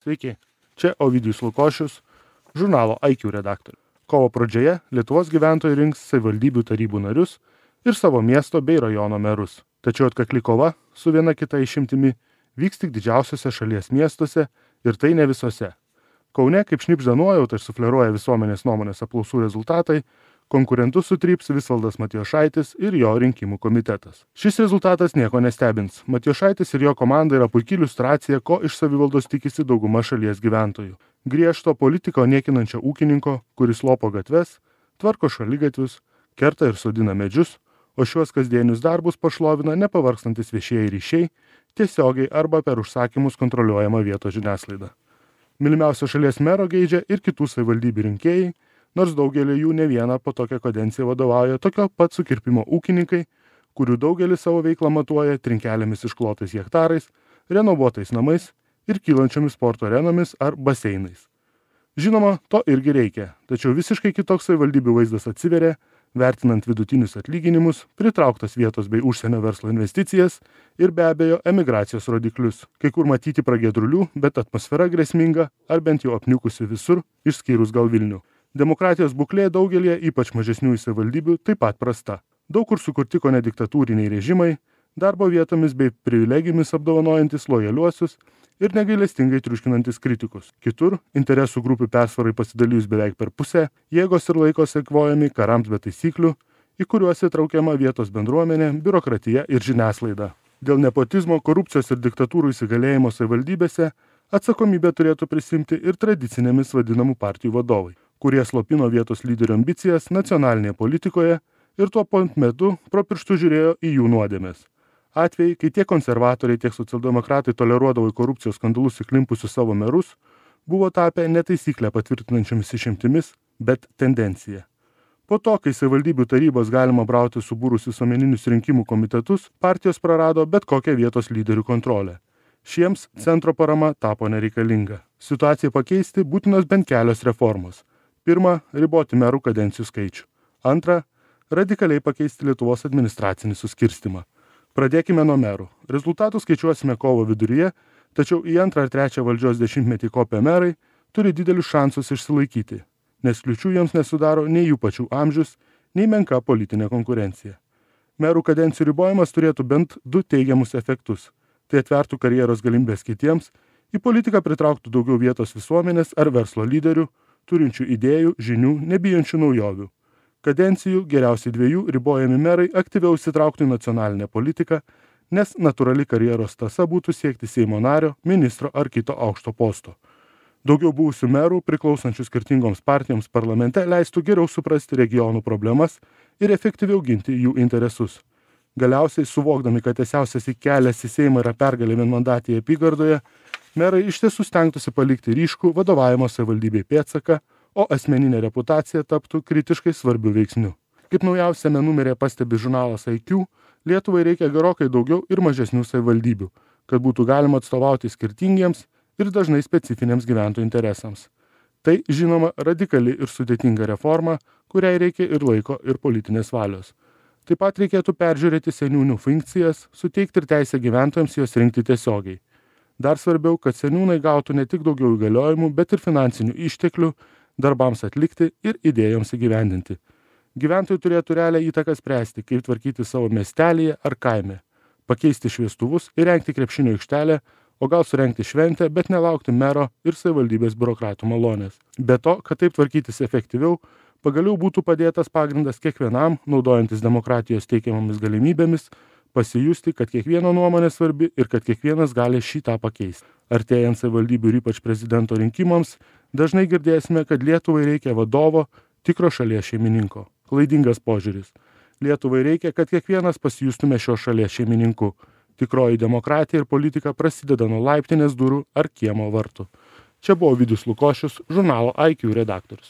Sveiki, čia Ovidijus Lukošius, žurnalo IQ redaktorius. Kovo pradžioje Lietuvos gyventojai rinks savivaldybių tarybų narius ir savo miesto bei rajono merus. Tačiau atkakli kova su viena kita išimtimi vyks tik didžiausiuose šalies miestuose ir tai ne visose. Kaune, kaip šnipžda nuojauta ir sufleruoja visuomenės nuomonės apklausų rezultatai, konkurentus sutryps Visvaldas Matijošaitis ir jo rinkimų komitetas. Šis rezultatas nieko nestebins. Matijošaitis ir jo komanda yra puikia iliustracija, ko iš savivaldos tikisi dauguma šalies gyventojų. Griežto politiko niekinančio ūkininko, kuris lopo gatves, tvarko šaligatvius, kerta ir sodina medžius, o šiuos kasdienius darbus pašlovina nepavarkstantis viešieji ryšiai, tiesiogiai arba per užsakymus kontroliuojama vietos žiniasklaida. Mylimiausio šalies mero geidžia ir kitų savivaldybių rinkėjai, nors daugelį jų ne vieną po tokią kadenciją vadovauja tokio pat sukirpimo ūkininkai, kurių daugelis savo veiklą matuoja trinkelėmis išklotais hektarais, renovuotais namais ir kylančiomis sporto arenomis ar baseinais. Žinoma, to irgi reikia, tačiau visiškai kitoks savivaldybių vaizdas atsiveria, vertinant vidutinius atlyginimus, pritrauktas vietos bei užsienio verslo investicijas ir be abejo emigracijos rodiklius. Kai kur matyti pragiedrulių, bet atmosfera grėsminga ar bent jau apniukusi visur, išskyrus gal Vilnių. Demokratijos būklė daugelie, ypač mažesnių savivaldybių, taip pat prasta. Daug kur sukurti kone diktatūriniai režimai, darbo vietomis bei privilegijomis apdovanojantis lojaliuosius ir negailestingai triuškinantis kritikus. Kitur, interesų grupių persvarai pasidalijus beveik per pusę, jėgos ir laikos eikvojami karams be taisyklių, į kuriuos įtraukiama vietos bendruomenė, biurokratija ir žiniasklaida. Dėl nepotizmo, korupcijos ir diktatūrų įsigalėjimo savivaldybėse atsakomybę turėtų prisimti ir tradicinėmis vadinamų partijų vadovai, kurie slopino vietos lyderių ambicijas nacionalinėje politikoje ir tuo pat metu pro pirštų žiūrėjo į jų nuodėmes. Atvejai, kai tiek konservatoriai, tiek socialdemokratai toleruodavo į korupcijos skandalus įklimpusius savo merus, buvo tapę netaisyklę patvirtinančiomis išimtimis, bet tendencija. Po to, kai savivaldybių tarybos galima brauti subūrus visuomeninius rinkimų komitetus, partijos prarado bet kokią vietos lyderių kontrolę. Šiems centro parama tapo nereikalinga. Situacijai pakeisti būtinos bent kelios reformos. Pirma, riboti merų kadencijų skaičių. Antra, radikaliai pakeisti Lietuvos administracinį suskirstimą. Pradėkime nuo merų. Rezultatų skaičiuosime kovo viduryje, tačiau į antrą ar trečią valdžios dešimtmetį kopę merai turi didelius šansus išsilaikyti, nes kliūčių jiems nesudaro nei jų pačių amžius, nei menka politinė konkurencija. Merų kadencijų ribojimas turėtų bent du teigiamus efektus. Tai atvertų karjeros galimybės kitiems, į politiką pritrauktų daugiau vietos visuomenės ar verslo lyderių, turinčių idėjų, žinių, nebijančių naujovių. Kadencijų geriausiai 2 ribojami merai aktyviau įsitrauktų į nacionalinę politiką, nes natūrali karjeros tąsa būtų siekti Seimo nario, ministro ar kito aukšto posto. Daugiau buvusių merų, priklausančių skirtingoms partijoms parlamente, leistų geriau suprasti regionų problemas ir efektyviau ginti jų interesus. Galiausiai, suvokdami, kad tiesiausias kelias į Seimą yra pergalė vienmandatėje apygardoje, merai iš tiesų stengtųsi palikti ryškų vadovavimo savivaldybei pėdsaką, o asmeninė reputacija taptų kritiškai svarbiu veiksniu. Kaip naujausiame numeryje pastebi žurnalas IQ, Lietuvai reikia gerokai daugiau ir mažesnių savivaldybių, kad būtų galima atstovauti skirtingiems ir dažnai specifiniams gyventojų interesams. Tai, žinoma, radikali ir sudėtinga reforma, kuriai reikia ir laiko, ir politinės valios. Taip pat reikėtų peržiūrėti seniūnų funkcijas, suteikti ir teisę gyventojams juos rinkti tiesiogiai. Dar svarbiau, kad seniūnai gautų ne tik daugiau įgaliojimų, bet ir finansinių išteklių darbams atlikti ir idėjoms įgyvendinti. Gyventojai turėtų realią įtaką spręsti, kaip tvarkyti savo miestelėje ar kaime, pakeisti šviestuvus ir rengti krepšinio aikštelę, o gal surengti šventę, bet nelaukti mero ir savivaldybės biurokratų malonės. Be to, kad taip tvarkytis efektyviau, pagaliau būtų padėtas pagrindas kiekvienam, naudojantis demokratijos teikiamomis galimybėmis, pasijusti, kad kiekvieno nuomonė svarbi ir kad kiekvienas gali šitą pakeisti. Artėjant savivaldybių ir ypač prezidento rinkimams, dažnai girdėsime, kad Lietuvai reikia vadovo, tikro šalies šeimininko. Klaidingas požiūris. Lietuvai reikia, kad kiekvienas pasijustume šios šalies šeimininku. Tikroji demokratija ir politika prasideda nuo laiptinės durų ar kiemo vartų. Čia buvo Ovidijus Lukošius, žurnalo IQ redaktorius.